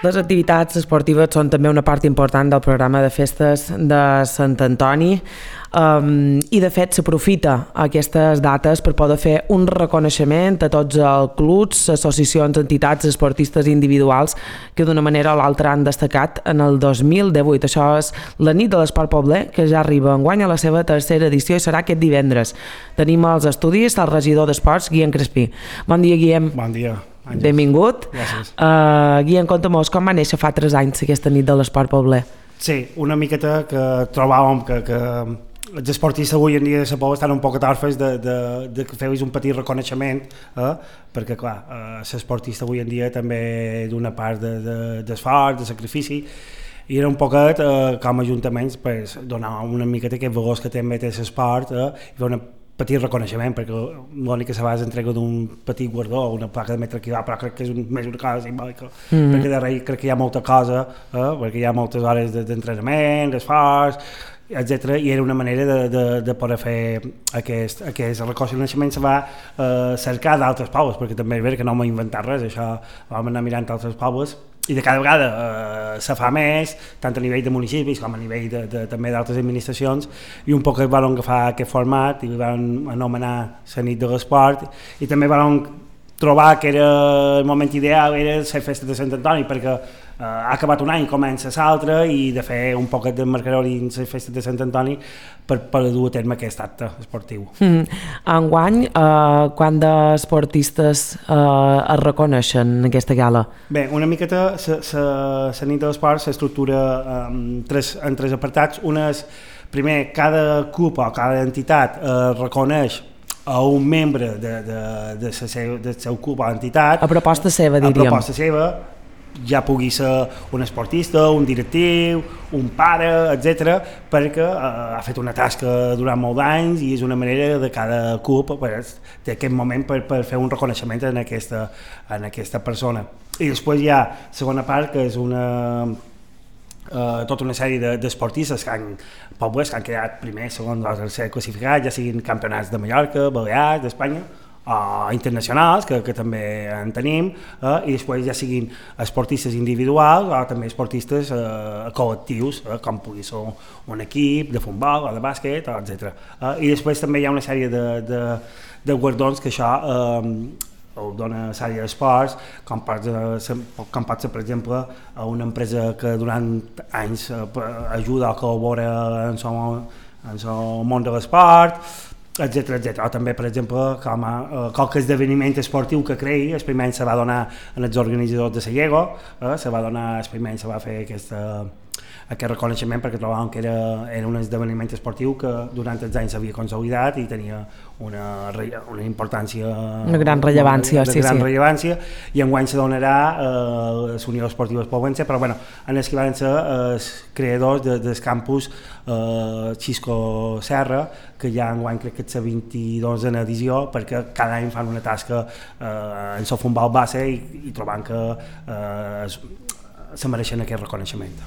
Les activitats esportives són també una part important del programa de festes de Sant Antoni i de fet s'aprofita aquestes dates per poder fer un reconeixement a tots els clubs, associacions, entitats, esportistes individuals que d'una manera o l'altra han destacat en el 2018. Això és la nit de l'Esport Pobler, que ja arriba enguany a la seva tercera edició i serà aquest divendres. Tenim als estudis el regidor d'Esports, Guillem Crespí. Bon dia, Guillem. Bon dia. Àngels. Benvingut. Gràcies. Guillem, conta'm-nos com va néixer fa 3 anys aquesta nit de l'Esport Pobler. Sí, una miqueta que trobàvem que els esportistes avui en dia de la Pobla estan un poc atorfes de que feu un petit reconeixement, perquè clar, l'esportista avui en dia també d'una part d'esforç, de sacrifici, i era un poquet com a ajuntaments pues, donar una miqueta aquest valors que també té l'esport i fer un petit reconeixement, perquè l'únic que se va és entrega d'un petit guardó, una placa de metre equival, però crec que és més una cosa simbòlica, perquè darrere crec que hi ha molta cosa, perquè hi ha moltes hores d'entrenament, d'esforç, etc. I era una manera de poder fer aquest reconeixement. Se va cercar d'altres pobles, perquè també és veritat que no m'he inventat res, això vam anar mirant altres pobles, i de cada vegada se fa més, tant a nivell de municipis com a nivell també d'altres administracions, i un poc es van agafar aquest format i van anomenar la nit de l'esport, i també van trobar que era el moment ideal era la festa de Sant Antoni, perquè ha acabat un any, comença l'altre, i de fer un poquet de marcador dins la festa de Sant Antoni per dur a terme aquest acte esportiu. Enguany, quant d'esportistes es reconeixen en aquesta gala? Bé, una miqueta la nit de l'esport s'estructura en tres apartats. Un és, primer, cada club o cada entitat reconeix a un membre del seu club o entitat. A proposta seva, diríem. A proposta seva, ja pugui ser un esportista, un directiu, un pare, etc., perquè ha fet una tasca durant molts anys i és una manera de cada club té aquest moment per fer un reconeixement en aquesta persona. I després hi ha la segona part, que és tota una sèrie d'esportistes que han quedat primer, segon o tercer classificats, ja siguin campionats de Mallorca, Balears, d'Espanya, internacionals, que també en tenim, i després ja siguin esportistes individuals o també esportistes col·lectius, com pugui ser un equip de futbol o de bàsquet, etc. I després també hi ha una sèrie de guardons que això ho dona la sèrie d'esports, com pot ser, per exemple, una empresa que durant anys ajuda o col·labora en el món de l'esport, etc. O també, per exemple, com qualque esdeveniment esportiu que creï, el primer any se va donar als organitzadors de la Llego, el primer any se va fer aquest reconeixement perquè trobàvem que era un esdeveniment esportiu que durant els anys s'havia consolidat i tenia una importància... Una gran rellevància, rellevància, i enguany se donarà a l'Unió Esportiva Poblense, però bueno, en els que van ser els creadors del campus Xisco Serra, que ja enguany crec que és la 22a edició, perquè cada any fan una tasca en el futbol base i trobant que se mereixen aquest reconeixement.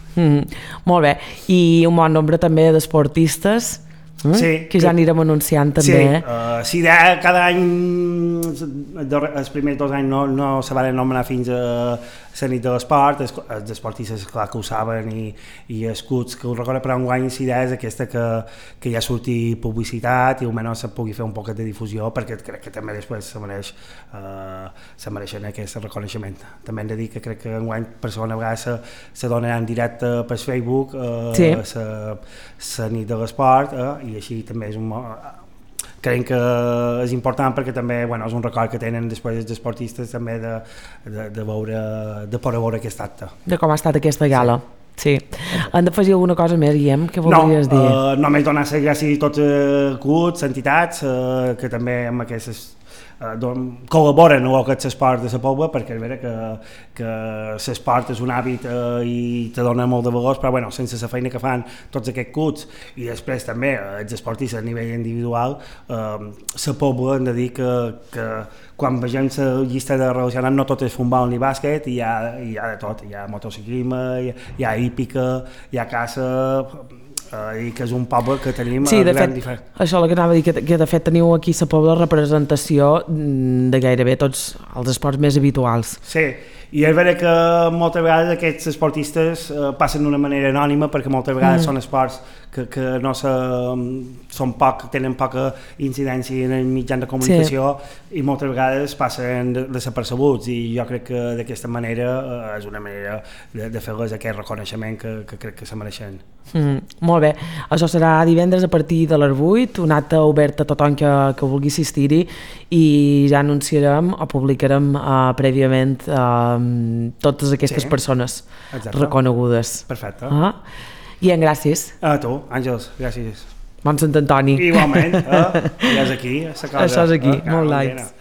Molt bé, i un bon nombre també d'esportistes que ja anirem anunciant també. Sí, cada any, els primers 2 anys no se van anomenar fins a la nit de l'esport, els esportistes clar que ho saben i els clubs que ho recorden, però enguany la idea és aquesta que ja surti publicitat i almenys se pugui fer un poc de difusió, perquè crec que també després se mereixen aquest reconeixement. També hem de dir que crec que enguany per segona vegada se donarà en directe per Facebook la nit de l'esport, i així també és crec que és important perquè també és un record que tenen després els esportistes també de poder veure aquest acte. De com ha estat aquesta gala. Sí. Han d'afegir alguna cosa més, Guillem? Què voldries dir? Només donar les gràcies a tots els clubs, entitats, que també amb aquestes col·laboren amb el que és l'esport de la Pobla, perquè és veritat que l'esport és un hàbit i te dona molt de valors, però sense la feina que fan tots aquests clubs i després també els esportistes a nivell individual, la Pobla hem de dir que quan vegem la llista de relacionats no tot és futbol ni bàsquet, hi ha de tot, hi ha motociclisme, hi ha hípica, hi ha caça, i que és un poble que tenim sí, de gran fet, diferent. això el que anava a dir, que de fet teniu aquí a la Pobla representació de gairebé tots els esports més habituals. Sí, i és vera que moltes vegades aquests esportistes passen d'una manera anònima perquè moltes vegades són esports que no tenen poca incidència en el mitjan de comunicació i moltes vegades passen desapercebuts i jo crec que d'aquesta manera és una manera de fer-les aquest reconeixement que crec que se mereixen. Molt bé, això serà divendres a partir de les 8, un acte obert a tothom que vulgui assistir-hi i ja anunciarem o publicarem prèviament totes aquestes persones reconegudes. Perfecte. I gràcies. A tu, Àngels, gràcies. Bon Sant Antoni. Igualment, ja és aquí, la cosa. Això és aquí, molt likes.